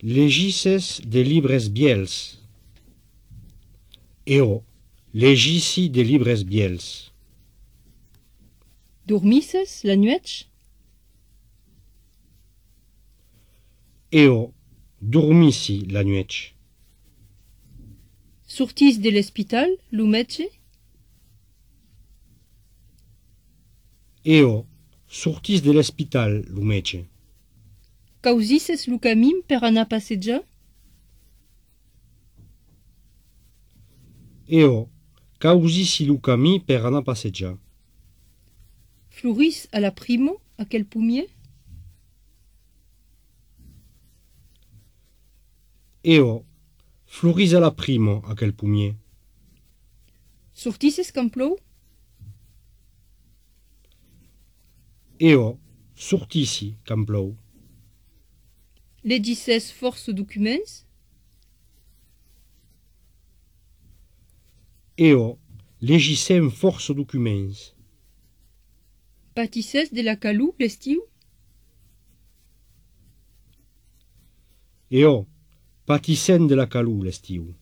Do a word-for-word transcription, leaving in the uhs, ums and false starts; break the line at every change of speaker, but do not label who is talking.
legisses de libres biels. Eo, legissi de libres biels.
Dormisses la nuetch?
Eo, dormissi la nuetch.
Sortis de l'hospital, lo metge?
Eo, sortis de l'hospital, lo metge.
Causisses lo camim per anar a passejar?
Eo, causissi lo camí per anar a passejar.
Floris a la primo, a quel pumier?
Eo, floris a la primo, a quel pumier.
Sortisses quand plou?
Eo, sortissi, quand plou.
Legisses force documents?
Eo, legissem força documents.
Patisses de la calou l'estiu?
Eo, patissem de la calor l'estiu.